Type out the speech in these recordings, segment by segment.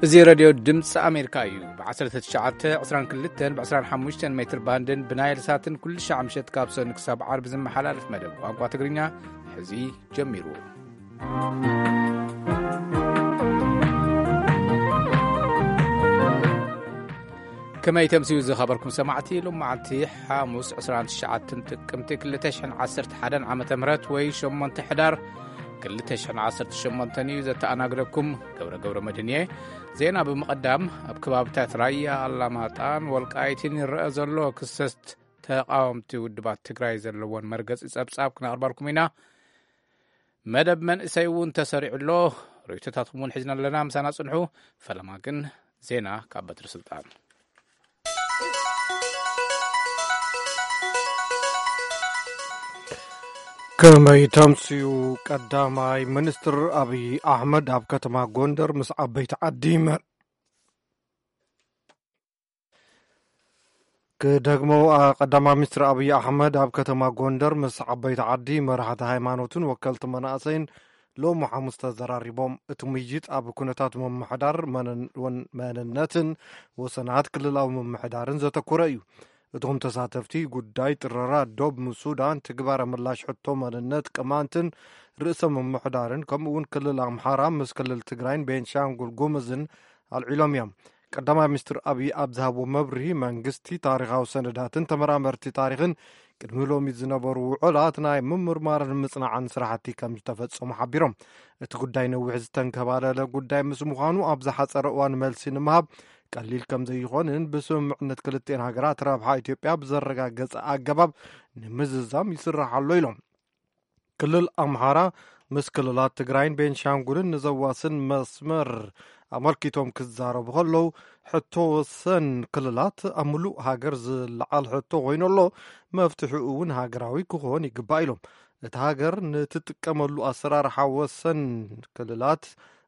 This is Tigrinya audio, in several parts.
እዚ ሬድዮ ድምፂ ኣሜሪካ እዩ። ብ1922 ብ25 ሜትር ባንድን ብናይል ሳትን ኩሉ ሻዕ ምሸት ካብ ሰኑ ክሳብ ዓርቢ ዝመሓላለፍ መደብ ቋንቋ ትግርኛ ሕዚ ጀሚሩ። ከመይ ተምስዩ ዝኸበርኩም ሰማዕቲ፣ ሎም መዓልቲ ሓሙስ 29 ጥቅምቲ 2011 ዓመተ ምህረት ወይ 8 ሕዳር 2018 እዩ። ዘተኣናግደኩም ገብረ ገብረ መድህን እየ። ዜና ብምቕዳም፣ ኣብ ከባብታት ራያ ኣላማጣን ወልቃይትን ይረአ ዘሎ ክሰት ተቓወምቲ ውድባት ትግራይ ዘለዎን መርገጺ ጸብጻብ ክነቕርበልኩም ኢና። መደብ መንእሰይ እውን ተሰሪዑ ኣሎ። ርእይቶታትኩም እውን ሒዝና ኣለና። ምሳና ጽንሑ። ፈለማ ግን ዜና ካብ በትሪ ስልጣን። ከመይ ተምስዩ? ቀዳማይ ሚኒስትር ኣብይ ኣሕመድ ኣብ ከተማ ጎንደር ምስ ዓበይቲ ዓዲ መ-፣ ክደግሞ፣ ኣ፣ ቀዳማይ ሚኒስትር ኣብይ ኣሕመድ ኣብ ከተማ ጎንደር ምስ ዓበይቲ ዓዲ፣ መራሕቲ ሃይማኖትን ወከልቲ መናእሰይን ሎሚ ሓሙስ ተዘራሪቦም። እቲ ምይይጥ ኣብ ኩነታት ምምሕዳር መነን-፣ ወን-፣ መንነትን ወሰናት ክልላዊ ምምሕዳርን ዘተኮረ እዩ። እቶም ተሳተፍቲ ጉዳይ ጥረራ ዶብ ሱዳን፣ ትግባረ ምላሽ ሕቶ መንነት ቅማንትን ርእሰ ምምሕዳርን፣ ከምኡ እውን ክልል ኣምሓራ ምስ ክልል ትግራይን ቤንሻንጉል ጉምዝን ኣልዒሎም እዮም። ቀዳማይ ሚኒስትር ኣብይ ኣብ ዝሃብዎ መብርሂ፣ መንግስቲ ታሪኻዊ ሰነዳትን ተመራመርቲ ታሪኽን ቅድሚ ሎሚ ዝነበሩ ውዕላት ናይ ምምርማርን ምጽናዕን ስራሕቲ ከም ዝተፈጸሙ ሓቢሮም። እቲ ጉዳይ ነዊሕ ዝተንከባለለ ጉዳይ ምስ ምዃኑ፣ ኣብ ዝሓጸረ እዋን መልሲ ንምሃብ ቀሊል ከም ዘይኾንን፣ ብስምምዕነት ክልቲኤን ሃገራት ረብሓ ኢትዮጵያ ብዘረጋገጸ ኣገባብ ንምዝዛም ይስራሕ ኣሎ ኢሎም። ክልል ኣምሓራ ምስ ክልላት ትግራይን ቤንሻንጉልን ንዘዋስን መስመር ኣመልኪቶም ክዛረቡ ከለዉ፣ ሕቶ ወሰን ክልላት ኣብ ምሉእ ሃገር ዝለዓል ሕቶ ኮይኑ ኣሎ፣ መፍትሒኡ እውን ሃገራዊ ክኾን ይግባእ ኢሎም። እቲ ሃገር ንትጥቀመሉ ኣሰራርሓ ወሰን ክልላት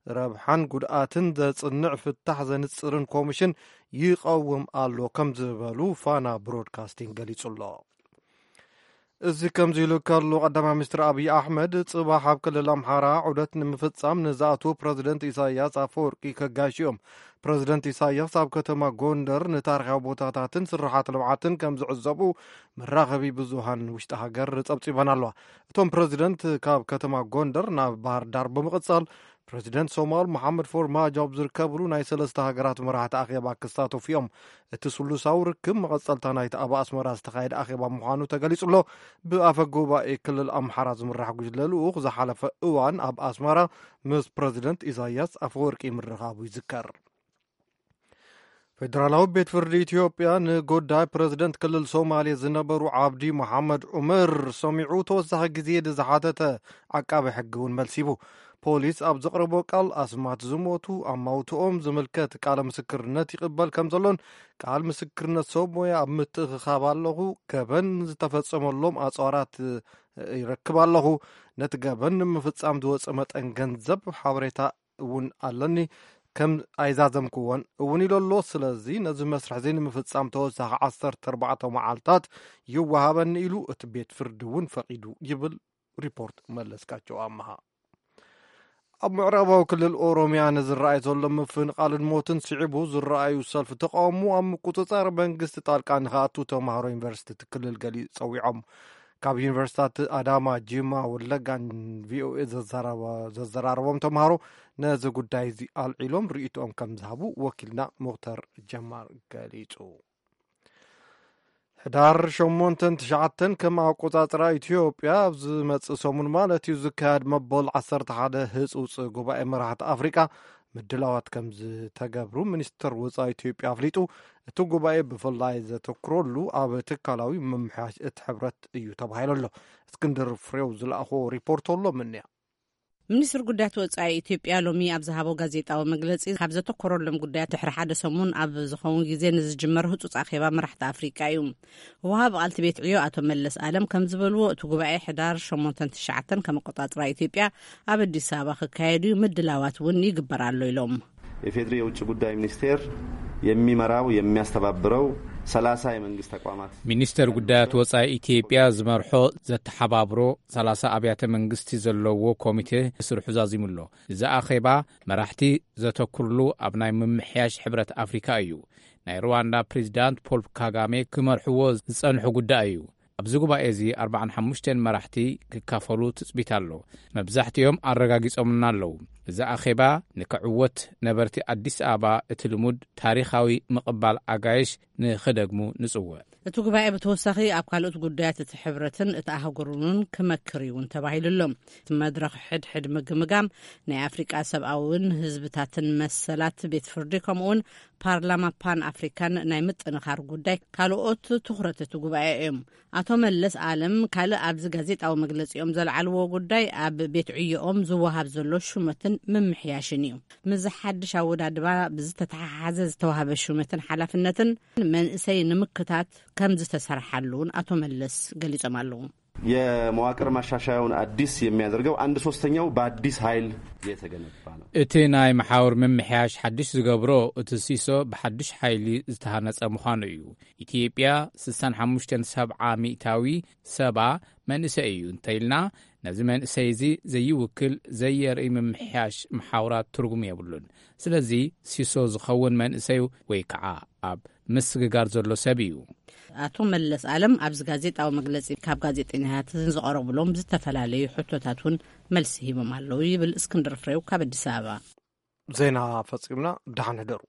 ረብሓን ጉድኣትን ዘጽንዕ ፍታሕ ዘንጽርን ኮሚሽን ይቐውም ኣሎ ከም ዝበሉ ፋና ብሮድካስቲንግ ገሊጹ ኣሎ። እዚ ከምዚ ኢሉ ከሎ፣ ቀዳማይ ሚኒስትር ኣብይ ኣሕመድ ጽባሕ ኣብ ክልል ኣምሓራ ዑደት ንምፍጻም ንዝኣትዉ ፕረዚደንት ኢሳያስ ኣፈወርቂ ከጋይሹ እዮም። ፕረዚደንት ኢሳያስ ኣብ ከተማ ጎንደር ንታሪኻዊ ቦታታትን ስራሓት ልምዓትን ከም ዝዕዘቡ መራኸቢ ብዙሃን ውሽጢ ሃገር ጸብጺበን ኣለዋ። እቶም ፕረዚደንት ካብ ከተማ ጎንደር ናብ ባህር ዳር ብምቕጻል፣ ፕረዚደንት ሶማል መሓመድ ፎርማጆ ኣብ ዝርከብሉ ናይ ሰለስተ ሃገራት መራሕቲ ኣኼባ ክሳተፉ እዮም። እቲ ስሉሳዊ ርክብ መቐጸልታ ናይቲ ኣብ ኣስመራ ዝተኻየደ ኣኼባ ምዃኑ ተገሊጹ ኣሎ። ብኣፈ ጉባኤ ክልል ኣምሓራ ዝምራሕ ጉጅለ ልኡኽ ዝሓለፈ እዋን ኣብ ኣስመራ ምስ ፕረዚደንት ኢሳያስ ኣፈወርቂ ምርኻቡ ይዝከር። ፌደራላዊ ቤት ፍርዲ ኢትዮጵያ ንጉዳይ ፕረዚደንት ክልል ሶማሌ ዝነበሩ ዓብዲ መሓመድ ዑመር ሰሚዑ ተወሳኺ ግዜ ንዝሓተተ ዓቃቢ ሕጊ እውን መልሲቡ። ፖሊስ ኣብ ዘቕረቦ ቃል፣ ኣስማት ዝሞቱ ኣማውትኦም ዝምልከት ቃለ ምስክርነት ይቕበል ከም ዘሎን፣ ቃል ምስክርነት ሰብ ሞያ ኣብ ምትእኽኻብ ኣለኹ፣ ገበን ዝተፈጸመሎም ኣጽዋራት ይረክብ ኣለኹ፣ ነቲ ገበን ንምፍጻም ዝወጸ መጠን ገንዘብ ሓበሬታ እውን ኣለኒ፣ ከም ኣይዛዘምክዎን እውን ኢሉ ኣሎ። ስለዚ ነዚ መስርሕ እዚ ንምፍጻም ተወሳኺ 14 መዓልታት ይወሃበኒ ኢሉ፣ እቲ ቤት ፍርዲ እውን ፈቒዱ ይብል ሪፖርት መለስካቸው ኣምሃ። ኣብ ምዕራባዊ ክልል ኦሮሚያ ንዝረኣይ ዘሎ ምፍንቓልን ሞትን ስዒቡ ዝረኣዩ ሰልፊ ተቃውሞ ኣብ ምቁጽጻር መንግስቲ ጣልቃ ንኽኣቱ ተማሃሮ ዩኒቨርሲቲ እቲ ክልል ገሊጹ ጸዊዖም። ካብ ዩኒቨርሲታት ኣዳማ፣ ጂማ፣ ወለጋን ቪኦኤ ዘዘራረቦም ተምሃሮ ነዚ ጉዳይ እዚ ኣልዒሎም ርእይቶኦም ከም ዝሃቡ ወኪልና ሙክተር ጀማል ገሊጹ። ሕዳር ሸሞንተን ትሽዓተን ከም ኣቆጻጽራ ኢትዮጵያ ኣብ ዝመጽእ ሰሙን ማለት እዩ ዝካየድ መበል ዓሰርተ ሓደ ህጹጽ ጉባኤ መራሕቲ ኣፍሪቃ ምድላዋት ከም ዝተገብሩ ሚኒስተር ወጻኢ ኢትዮጵያ ኣፍሊጡ። እቲ ጉባኤ ብፍላይ ዘተኩረሉ ኣብ ትካላዊ ምምሕያሽ እቲ ሕብረት እዩ ተባሂሉ ኣሎ። እስክንድር ፍሬው ዝለኣኾ ሪፖርት ኣሎ ምንያ። ሚኒስትር ጉዳያት ወጻኢ ኢትዮጵያ ሎሚ ኣብ ዝሃቦ ጋዜጣዊ መግለጺ፣ ካብ ዘተኮረሎም ጉዳያት ድሕሪ ሓደ ሰሙን ኣብ ዝኸውን ግዜ ንዝጅመር ህጹጽ ኣኼባ መራሕቲ ኣፍሪቃ እዩ። ወሃቢ ቃል እቲ ቤት ዕዮ ኣቶ መለስ ኣለም ከም ዝበልዎ፣ እቲ ጉባኤ ሕዳር ሸሞንተን ትሽዓተን ከም ኣቆጻጽራ ኢትዮጵያ ኣብ ኣዲስ ኣበባ ክካየድ እዩ፣ ምድላዋት እውን ይግበር ኣሎ ኢሎም። የፌድሪ የውጭ ጉዳይ ሚኒስቴር የሚመራው የሚያስተባብረው ሰላሳ የመንግስት ተቋማት። ሚኒስተር ጉዳያት ወጻኢ ኢትዮጵያ ዝመርሖ ዘተሓባብሮ ሰላሳ ኣብያተ መንግስቲ ዘለዎ ኮሚቴ ስርሑ ዛዚሙ ኣሎ። እዚ ኣኼባ መራሕቲ ዘተኩርሉ ኣብ ናይ ምምሕያሽ ሕብረት ኣፍሪካ እዩ። ናይ ሩዋንዳ ፕሬዚዳንት ፖል ካጋሜ ክመርሕዎ ዝጸንሑ ጉዳይ እዩ። ኣብዚ ጉባኤ እዚ ኣርባዓን ሓሙሽተን መራሕቲ ክካፈሉ ትጽቢት ኣሎ። መብዛሕትኦም ኣረጋጊጾምና ኣለዉ። እዚ ኣኼባ ንክዕወት ነበርቲ ኣዲስ ኣበባ እቲ ልሙድ ታሪኻዊ ምቕባል ኣጋይሽ ንኽደግሙ ንጽውዕ። እቲ ጉባኤ ብተወሳኺ ኣብ ካልኦት ጉዳያት እቲ ሕብረትን እቲ ኣህጉርን እውን ክመክር እዩ እውን ተባሂሉ ኣሎ። እቲ መድረኽ ሕድሕድ ምግምጋም ናይ ኣፍሪቃ ሰብኣውን ህዝብታትን መሰላት ቤት ፍርዲ ከምኡውን ፓርላማ ፓን ኣፍሪካን ናይ ምጥንኻር ጉዳይ ካልኦት ትኹረት እቲ ጉባኤ እዮም። ኣቶ መለስ ኣለም ካልእ ኣብዚ ጋዜጣዊ መግለፂኦም ዘልዓልዎ ጉዳይ ኣብ ቤት ዕዮኦም ዝወሃብ ዘሎ ሹመትን ምምሕያሽን እዩ። ምስዚ ሓድሽ ኣወዳድባ ብዝተተሓሓዘ ዝተዋህበ ሹመትን ሓላፍነትን መንእሰይ ንምክታት ከም ዝተሰርሓሉ እውን ኣቶ መለስ ገሊጾም ኣለዉ። የመዋቅር ማሻሻያውን አዲስ የሚያደርገው አንድ ሶስተኛው በአዲስ ኃይል የተገነባ ነው። እቲ ናይ መሓውር ምምሕያሽ ሓድሽ ዝገብሮ እቲ ሲሶ ብሓድሽ ሓይሊ ዝተሃነጸ ምዃኑ እዩ። ኢትዮጵያ ስሳን ሓሙሽተን ሰብዓ ሚእታዊ ሰባ መንእሰይ እዩ እንተኢልና፣ ነዚ መንእሰይ እዚ ዘይውክል ዘየርኢ ምምሕያሽ መሓውራት ትርጉም የብሉን። ስለዚ ሲሶ ዝኸውን መንእሰይ ወይ ከዓ ኣብ ምስግጋር ዘሎ ሰብ እዩ። ኣቶ መለስ ኣለም ኣብዚ ጋዜጣዊ መግለፂ ካብ ጋዜጠኛታት ዝቐረቡሎም ዝተፈላለዩ ሕቶታት እውን መልሲ ሂቦም ኣለዉ ይብል እስክንድር ፍሬው ካብ ኣዲስ ኣበባ። ዜና ፈጺምና። ደሓን ሕደሩ።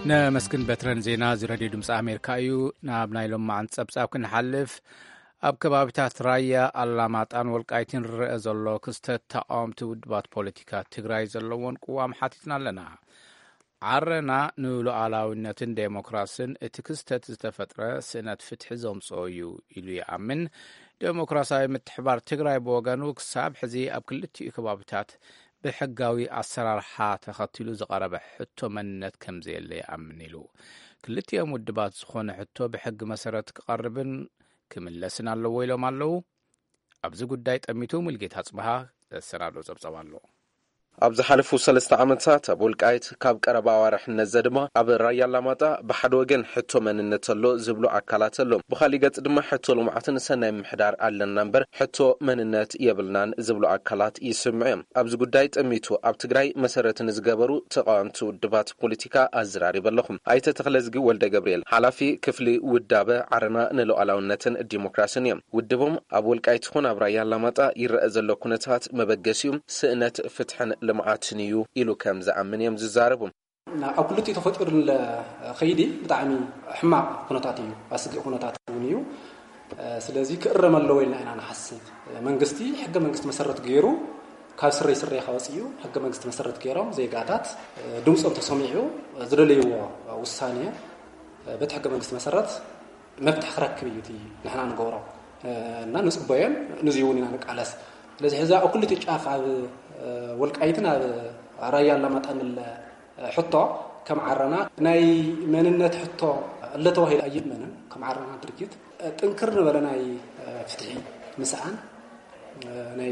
ነመስግን በትረን። ዜና እዚ ሬድዮ ድምፂ ኣሜሪካ እዩ። ናብ ናይ ሎማዓንቲ ፀብፃብ ክንሓልፍ፣ ኣብ ከባቢታት ራያ ኣላማጣን ወልቃይትን ዝረአ ዘሎ ክስተት ተቃወምቲ ውድባት ፖለቲካ ትግራይ ዘለዎን ቅዋም ሓቲትና ኣለና። ዓረና ንሉዓላዊነትን ዴሞክራስን እቲ ክስተት ዝተፈጥረ ስእነት ፍትሒ ዘምፅኦ እዩ ኢሉ ይኣምን። ዴሞክራሲያዊ ምትሕባር ትግራይ ብወገኑ ክሳብ ሕዚ ኣብ ክልቲኡ ከባቢታት ብሕጋዊ ኣሰራርሓ ተኸቲሉ ዝቐረበ ሕቶ መንነት ከምዘየለ ይኣምን ኢሉ። ክልቲኦም ውድባት ዝኾነ ሕቶ ብሕጊ መሰረት ክቐርብን ክምለስን ኣለዎ ኢሎም ኣለዉ። ኣብዚ ጉዳይ ጠሚቱ ሙልጌታ ጽብሃ ዘሰናዶ ጸብጸብ ኣሎ። ኣብ ዝሓለፉ ሰለስተ ዓመታት ኣብ ወልቃይት ካብ ቀረባ ኣዋርሕ ነዘ ድማ ኣብ ራያ ኣላማጣ ብሓደ ወገን ሕቶ መንነት ኣሎ ዝብሉ ኣካላት ኣሎ። ብኻሊእ ገጽ ድማ ሕቶ ልምዓትን ሰናይ ምሕዳር ኣለና እምበር ሕቶ መንነት የብልናን ዝብሉ ኣካላት ይስምዑ እዮም። ኣብዚ ጉዳይ ጠሚቱ ኣብ ትግራይ መሰረት ንዝገበሩ ተቃወምቲ ውድባት ፖለቲካ ኣዘራሪበ ኣለኹ። ኣይተ ተኽለዝጊ ወልደ ገብርኤል ሓላፊ ክፍሊ ውዳበ ዓረና ንሉዓላውነትን ዲሞክራስን እዮም። ውድቦም ኣብ ወልቃይት ይኹን ኣብ ራያ ኣላማጣ ይረአ ዘሎ ኩነታት መበገሲኡ ስእነት ፍትሕን ልምዓትን እዩ ኢሉ ከም ዝኣምን እዮም ዝዛረቡ። ኣብ ክልቲኡ ተፈጢሩ ንለ ኸይዲ ብጣዕሚ ሕማቕ ኩነታት እዩ፣ ኣስጊእ ኩነታት እውን እዩ። ስለዚ ክእረም ኣለዎ ኢልና ኢና ንሓስብ። መንግስቲ ሕገ መንግስቲ መሰረት ገይሩ ካብ ስረይ ስረኻ ወፂኡ ሕገ መንግስቲ መሰረት ገይሮም ዜጋታት ድምፆም ተሰሚዑ ዝደለይዎ ውሳኔ በቲ ሕገ መንግስቲ መሰረት መፍትሒ ክረክብ እዩ እቲ ንሕና ንገብሮ እና ንፅበዮን ንዚ እውን ኢና ንቃለስ። ስለዚ ሕዚ ኣብ ክልቲኡ ጫፍ ኣብ ወልቃይትን ኣብ ራያ ኣላማጣን ንለ ሕቶ ከም ዓረና ናይ መንነት ሕቶ ኣሎ ተባሂሉ ኣይእመንን። ከም ዓረና ድርጅት ጥንክር ዝበለ ናይ ፍትሒ ምስኣን ናይ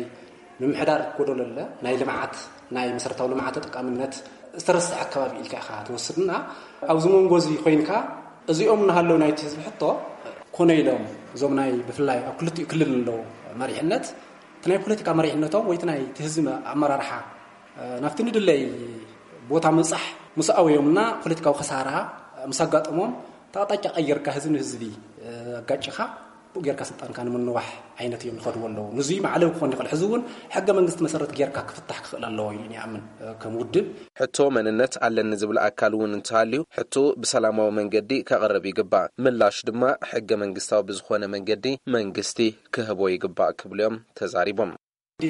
ምምሕዳር ጎደሎ ኣለ፣ ናይ ልምዓት ናይ መሰረታዊ ልምዓት ተጠቃምነት ዝተረስዐ ኣከባቢ ኢልካ ኢኻ ትወስድና። ኣብዚ መንጎ እዚ ኮይንካ እዚኦም እናሃለዉ ናይቲ ህዝቢ ሕቶ ኮነ ኢሎም እዞም ናይ ብፍላይ ኣብ ክልቲኡ ክልል ኣለዉ መሪሕነት እቲ ናይ ፖለቲካ መሪሕነቶም ወይ እቲ ናይ እቲ ህዝቢ ኣመራርሓ ናብቲ ንድለይ ቦታ ምብፃሕ ምስ ኣውዮምና ፖለቲካዊ ክሳራ ምስ ኣጋጠሞም እቲ ኣቕጣጫ ቀይርካ ህዝቢ ንህዝቢ ኣጋጭኻ ብኡ ጌርካ ስልጣንካ ንምንዋሕ ዓይነት እዮም ዝኸድዎ ኣለዉ። ንዙይ መዕለቢ ክኾን ይኽእል። ሕዚ እውን ሕገ መንግስቲ መሰረት ጌርካ ክፍታሕ ክኽእል ኣለዎ ኢሉ ይኣምን ከም ውድብ። ሕቶ መንነት ኣለኒ ዝብል ኣካል እውን እንተሃልዩ ሕቶ ብሰላማዊ መንገዲ ከቕርብ ይግባእ። ምላሽ ድማ ሕገ መንግስታዊ ብዝኾነ መንገዲ መንግስቲ ክህቦ ይግባእ ክብሉ እዮም ተዛሪቦም።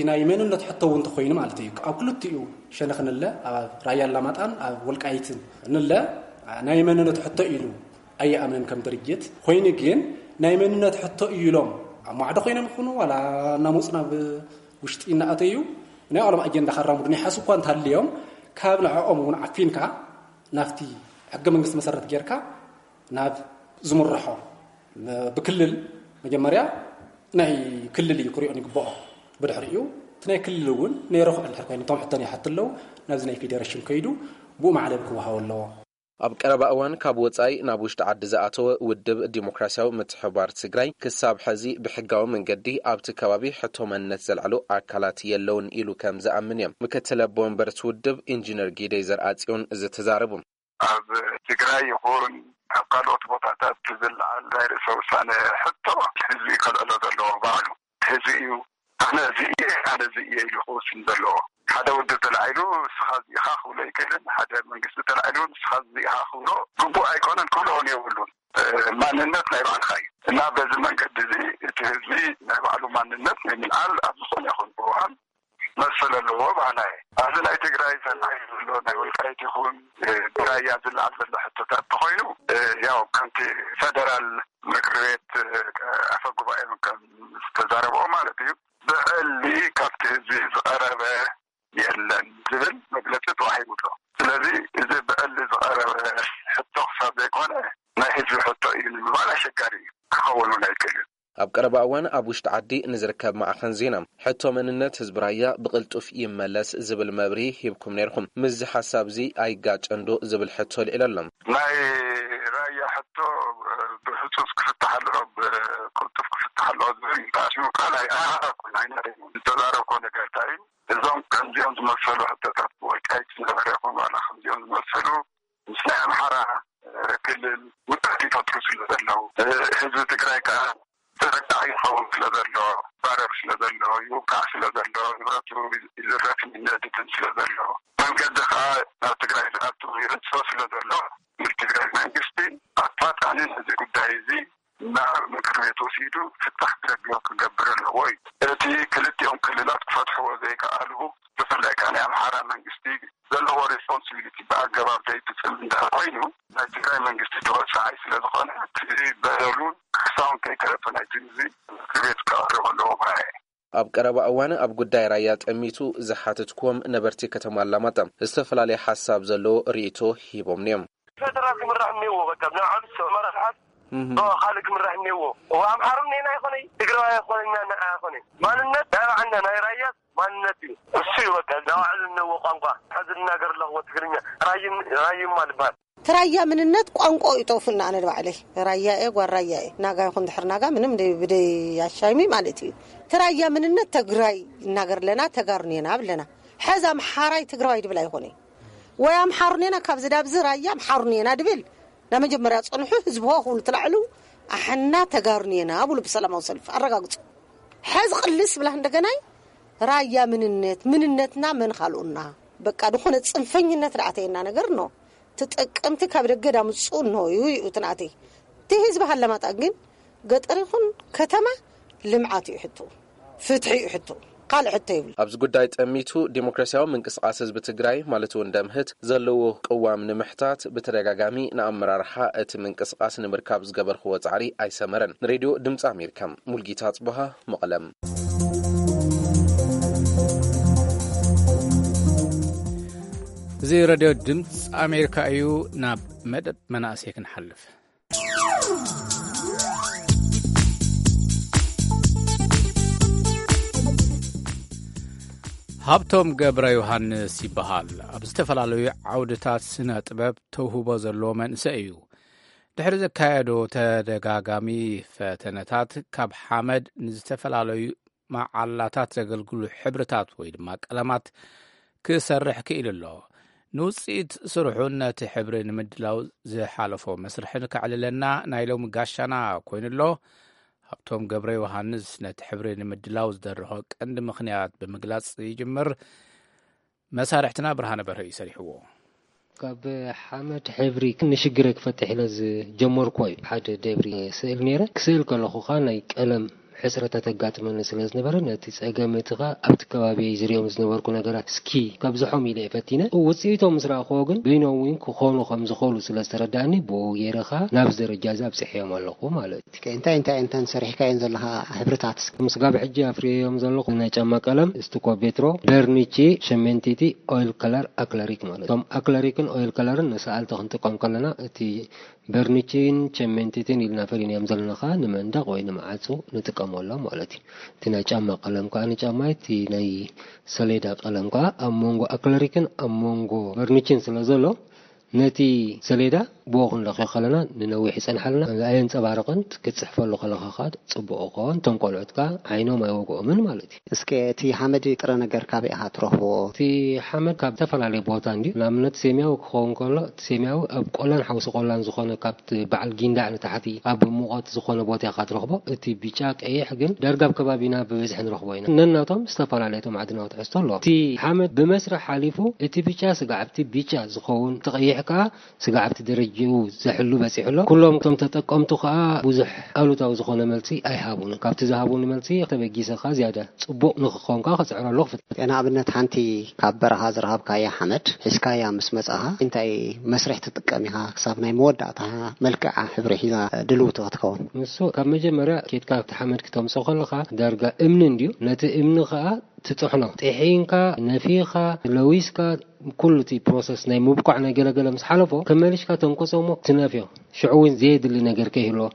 ናይ መንነት ሕቶ እውን እንተኾይኑ ማለት እዩ። ኣብ ክልቲኡ ሸነኽ ንለ ኣብ ራያ ኣላማጣን ኣብ ወልቃይትን ንለ ናይ መንነት ሕቶ ኢሉ ኣይኣምንን ከም ድርጅት። ኮይኑ ግን ናይ መንነት ሕቶ እዩ ኢሎም ኣብ ማዕዶ ኮይኖም ይኹኑ ዋላ እናመፁ ናብ ውሽጢ እናኣተዩ ናይ ባዕሎም ኣጀንዳ ከራምዱ ናይ ሓሱ እኳ እንተሃልዮም ካብ ንዕኦም እውን ዓፊንካ ናብቲ ሕገ መንግስቲ መሰረት ጌርካ ናብ ዝምርሖ ብክልል መጀመርያ ናይ ክልል እዩ ክሪኦን ይግብኦ። ብድሕሪኡ እቲ ናይ ክልል እውን ነይረኽዑ እንድሕር ኮይኑ እቶም ሕቶ ይሓቱ ኣለዉ፣ ናብዚ ናይ ፌዴሬሽን ከይዱ ብኡ ማዕለል ክወሃቦ ኣለዎ። ኣብ ቀረባ እዋን ካብ ወጻኢ ናብ ውሽጢ ዓዲ ዝኣተወ ውድብ ዲሞክራሲያዊ ምትሕብባር ትግራይ ክሳብ ሕዚ ብሕጋዊ መንገዲ ኣብቲ ከባቢ ሕቶ መንነት ዘልዕሉ ኣካላት የለውን ኢሉ ከም ዝኣምን እዮም ምክትል ኣቦ ወንበር እቲ ውድብ ኢንጂነር ጊደይ ዘርኣጽዮን ዝተዛረቡ። ኣብ ትግራይ ይኹን ኣብ ካልኦት ቦታታት ዝለዓል ናይ ርእሰ ውሳነ ሕቶ ህዝቢ ከልዕሎ ዘለዎ ባዕሉ ህዝቢ እዩ። ኣነ እዚ እየ፣ ኣነ እዚ እየ ኢሉ ክውስን ዘለዎ። ሓደ ውድብ ተላዒሉ ንስኻ እዚ ኢኻ ክብሎ ኣይክእልን። ሓደ መንግስቲ ተላዒሉ ንስኻ እዚ ኢኻ ክብሎ ግቡእ ኣይኮነን፣ ክብሎ እውን የብሉን። እ፣ ማንነት ናይ ባዕልኻ እዩ እና በዚ መንገዲ እዚ እቲ ህዝቢ ናይ ባዕሉ ማንነት ናይ ምልዓል ኣብ ዝኾነ ይኹን እዋን መሰል ኣለዎ በሃላይ እየ። ኣብዚ ናይ ትግራይ ተላዒሉ ዘሎ ናይ ወልቃይት ይኹን፣ እ፣ ብራያ ዝለዓል ዘሎ ሕቶታት እንተኾይኑ፣ እ፣ ያው ከምቲ ፈደራል ምክር ቤት፣ እ፣ ኣፈ ጉባኤ ከም ዝተዛረብኦ ማለት እዩ። ብዕሊ ካብቲ ህዝቢ ዝቐረበ የለን ዝብል መግለጺ ተዋሂቡ ኣሎ። ስለዚ እዚ ብዕሊ ዝቐረበ ሕቶ ክሳብ ዘይኮነ ናይ ህዝቢ ሕቶ እዩ ንምባል ኣሸጋሪ እዩ፣ ክኸውን እውን ኣይክእልን። ኣብ ቀረባ እዋን ኣብ ውሽጢ ዓዲ ንዝርከብ ማዕኸን ዜና ሕቶ መንነት ህዝቢ ራያ ብቕልጡፍ ይመለስ ዝብል መብርሂ ሂብኩም ነይርኩም። ምስዚ ሓሳብ እዚ ኣይጋጨን ዶ ዝብል ሕቶ ልዒሉ ኣሎ። ናይ ራያ ሕቶ ብህጹጽ ክፍታሕ ኣለዎ፣ ብቅልጡፍ ክፍታሕ ኣለዎ ዝብል ተኣሲቡ ካልኣይ ኣይሃረኩን ኣይነረይን ዝተዛረብኮ ነገር እንታይ እዩ? እዞም ከምዚኦም ዝመሰሉ ሕቶታት ብወልቃይት ዝነበረ ይኹን ዋላ ከምዚኦም ዝመሰሉ ምስ ናይ ኣምሓራ፣ እ፣ ክልል ውጥረት ይፈጥሩ ስለ ዘለዉ፣ እ፣ ህዝቢ ትግራይ ከዓ ተጠቃዒ ይኸውን ስለ ዘሎ፣ ባረር ስለ ዘሎ፣ ይውቃዕ ስለ ዘሎ፣ ንብረቱ ይዝረፍን ይነድድን ስለ ዘሎ፣ መንገዲ ከዓ ናብ ትግራይ ዝኣቱ ይዕጾ ስለ ዘሎ፣ ትግራይ መንግስቲ ኣፋጣኒ ነዚ ጉዳይ እዚ ናብ ምክር ቤት ወሲዱ ፍታሕ ክረክብ ክገብር ኣለዎ እዩ። እቲ ክልቲኦም ክልላት ክፈትሕዎ ዘይከኣሉ፣ ብፍላይ ከዓ ናይ ኣምሓራ መንግስቲ ዘለዎ ሬስፖንሲቢሊቲ ብኣገባብ ዘይፍፅም እንድሕር ኮይኑ፣ ናይ ትግራይ መንግስቲ ተወሳዓይ ስለ ዝኾነ፣ እቲ በደሉን ክሳውን ከይተረፈ ናይቲ ህዝቢ ምክር ቤት ከቕርብ ኣለዎ ባይ እየ። ኣብ ቀረባ እዋን ኣብ ጉዳይ ራያ ጠሚቱ ዝሓተትኩዎም ነበርቲ ከተማ ኣላማጣ ዝተፈላለየ ሓሳብ ዘለዎ ርእይቶ ሂቦምኒ እዮም። ፈደራል ክምራሕ እኒዎ፣ በቃ፣ ብናይ ዓብስ መራሕሓት እህ። ዶ ካልእ ክምራሕ እኒዎ። እዋ ኣምሓሩ እኒና ኣይኮነይ፣ ትግራዋይ ኣይኮነይ፣ እኛ ንዓ ኣይኮነይ። ማንነት ናይ ባዕልና፣ ናይ ራያስ ማንነት እዩ። እሱ እዩ፣ በቃ፣ ናይ ባዕሉ እኒዎ ቋንቋ። ሕዚ ዝናገር ኣለኽዎ ትግርኛ፣ ራይም-፣ ራይማ ልበሃል። እቲ ራያ ምንነት ቋንቋ እዩ ጠፉና። ኣነ ንባዕለይ ራያ እየ፣ ጓል ራያ እየ። ናጋ ይኹን ድሕር ናጋ ምንም ደይ-፣ ብደይ ኣሻሚ ማለት እዩ። እቲ ራያ ምንነት ተግራይ ይናገር ኣለና፣ ተጋሩ ኔና ብለና። ሕዚ ኣምሓራይ ትግራዋይ ድብል ኣይኾነይ። ወይ ኣምሓሩ ኔና ካብዚ ዳብዚ ራያ ኣምሓሩ ኔና ድብል። ናብ መጀመርያ ጸንሑ ህዝቢ ሆ ክብሉ ትላዕሉ ኣሕና ተጋሩ ኔና ብሉ ብሰላማዊ ሰልፊ ኣረጋግጹ። ሕዚ ቅልስ ብላ እንደገናይ ራያ ምንነት፣ ምንነትና መን ካልኡና? በቃ ዝኾነ ጽንፈኝነት ደኣ ኣተየና ነገር ነው። ተጠቀምቲ ካብ ደገ ዳምጹ ነው እዩ እዩ ትናተይ። እቲ ህዝቢ ሃለማጣ ግን ገጠር ይኹን ከተማ ልምዓት እዩ ሕቶ፣ ፍትሒ እዩ ሕቶ፣ ካልእ ሕቶ ይብሉ። ኣብዚ ጉዳይ ጠሚቱ ዲሞክራሲያዊ ምንቅስቃስ ህዝቢ ትግራይ ማለት እውን ደምህት ዘለዎ ቅዋም ንምሕታት ብተደጋጋሚ ንኣመራርሓ እቲ ምንቅስቃስ ንምርካብ ዝገበርክዎ ጻዕሪ ኣይሰመረን። ንሬድዮ ድምፂ ኣሜሪካ ሙልጌታ ጽቡሃ መቐለም። እዚ ሬድዮ ድምፂ ኣሜሪካ እዩ። ናብ መደብ መናእሰይ ክንሓልፍ። ሃብቶም ገብረ ዮሃንስ ይበሃል። ኣብ ዝተፈላለዩ ዓውድታት ስነ ጥበብ ተውህቦ ዘለዎ መንእሰይ እዩ። ድሕሪ ዘካየዶ ተደጋጋሚ ፈተነታት ካብ ሓመድ ንዝተፈላለዩ መዓላታት ዘገልግሉ ሕብርታት ወይ ድማ ቀለማት ክሰርሕ ክኢሉ ኣሎ። ንውጽኢት ስርሑን ነቲ ሕብሪ ንምድላው ዝሓለፎ መስርሕን ከዕልለና ናይ ሎሚ ጋሻና ኮይኑ ኣሎ። ሃብቶም ገብረ ዮሃንስ ነቲ ሕብሪ ንምድላው ዝደረኾ ቀንዲ ምኽንያት ብምግላጽ ይጅምር። መሳርሕትና ብርሃነ በርሀ እዩ ሰሪሕዎ። ካብ ሓመድ ሕብሪ ንሽግረ ክፈትሕ ኢለ ዝጀመርኩዎ እዩ። ሓደ ደብሪ ስእል ነይረ። ክስእል ከለኹ ኸኣ ናይ ቀለም ሕጽረታት ኣጋጥመኒ ስለ ዝነበረ፣ ነቲ ጸገም እቲ ኸኣ ኣብቲ ከባቢ ዝርእዮም ዝነበርኩ ነገራት እስኪ ከብዝሖም ኢለ እየ ፈቲነ። ውጽኢቶም ምስ ረኣኽዎ ግን በይኖም እውን ክኾኑ ከም ዝኽእሉ ስለ ዝተረዳእኒ፣ ብኡ ገይረ ኸኣ ናብዚ ደረጃ እዚ ኣብጺሐዮም ኣለኹ ማለት እዩ። እንታይ እንታይ እንታይ ሰሪሕካየን ዘለኻ ሕብርታት? እስኪ ምስጋብ ሕጂ ኣፍርየዮም ዘለኹ ናይ ጫማ ቀለም፣ ስቱኮ፣ ቤትሮ፣ በርኒቺ፣ ሸሜንቲቲ፣ ኦይል ከለር፣ ኣክለሪክ ማለት። እቶም ኣክለሪክን ኦይል ከለርን ንሰኣልቲ ክንጥቀም ከለና፣ እቲ በርኒቺን ሸሜንቲትን ኢልና ፈሊናዮም ዘለና ኸኣ ንመንደቕ ወይ ንመዓጹ ንጥቀም። ሞላ ማለት እዩ። እቲ ናይ ጫማ ቀለም ከዓ ንጫማ፣ እቲ ናይ ሰሌዳ ቀለም ከዓ ኣብ መንጎ ኣክለሪክን ኣብ መንጎ በርኒችን ስለ ዘሎ፣ ነቲ ሰሌዳ ብኡ ክንለኽዮ ከለና ንነዊሕ ይጸንሓልና፣ ኣየንጸባርቕን፣ ክትጽሕፈሉ ከለኻ ከዓ ጽቡቕ ይኸውን። እቶም ቆልዑት ከዓ ዓይኖም ኣይወግኦምን ማለት እዩ። እስከ እቲ ሓመድ ጥረ ነገር ካበይ ኢኻ ትረኽቦ? እቲ ሓመድ ካብ ዝተፈላለየ ቦታ እንድዩ። ንኣብነት ሴምያዊ ክኸውን ከሎ፣ እቲ ሴምያዊ ኣብ ቆላን ሓውሲ ቆላን ዝኾነ፣ ካብቲ በዓል ጊንዳዕ ንታሕቲ ኣብ ሙቐት ዝኾነ ቦታ ኢኻ ትረኽቦ። እቲ ብጫ ቀይሕ ግን ዳርጋ ኣብ ከባቢና ብብዝሒ ንረኽቦ ኢና። ነናቶም ዝተፈላለየ እቶም ዓድናዊ ትሕዝቶ ኣለዎም። እቲ ሓመድ ብመስርሕ ሓሊፉ፣ እቲ ብጫ ስጋዕ ኣብቲ ብጫ ዝኸውን፣ እቲ ቀይሕ ከኣ ስጋዕ ኣብቲ ደረጃኡ ዘሕሉ በጺሑ ኣሎ። ኩሎም እቶም ተጠቀምቱ ከኣ ብዙሕ ኣሉታዊ ዝኾነ መልሲ ኣይሃቡን። ካብቲ ዝሃቡኒ መልሲ ተበጊሰ ከኣ ዝያዳ ጽቡቕ ንኽኸውን ከኣ ክጽዕረሉ ክፍትን። ንኣብነት ሓንቲ ካብ በረኻ ዝረኸብካያ ሓመድ ሒዝካያ ምስ መጻኻ እንታይ መስርሕ ትጥቀም ኢኻ ክሳብ ናይ መወዳእታ መልክዓ ሕብሪ ሒዛ ድልውቲ ክትከውን? ንሱ ካብ መጀመርያ ኬድካ ኣብቲ ሓመድ ክተምጽኦ ከለኻ ዳርጋ እምኒ እንድዩ። ነቲ እምኒ ከኣ ትጥሕኖ። ጥሒንካ፣ ነፊኻ፣ ለዊስካ፣ ኩሉ እቲ ፕሮሰስ ናይ ምብኳዕ ናይ ገለገለ ምስ ሓለፎ፣ ከመሊሽካ ተንቅጾ እሞ ትነፍዮ። ሽዑ እውን ዘየድሊ ነገር ከይህልዎ፣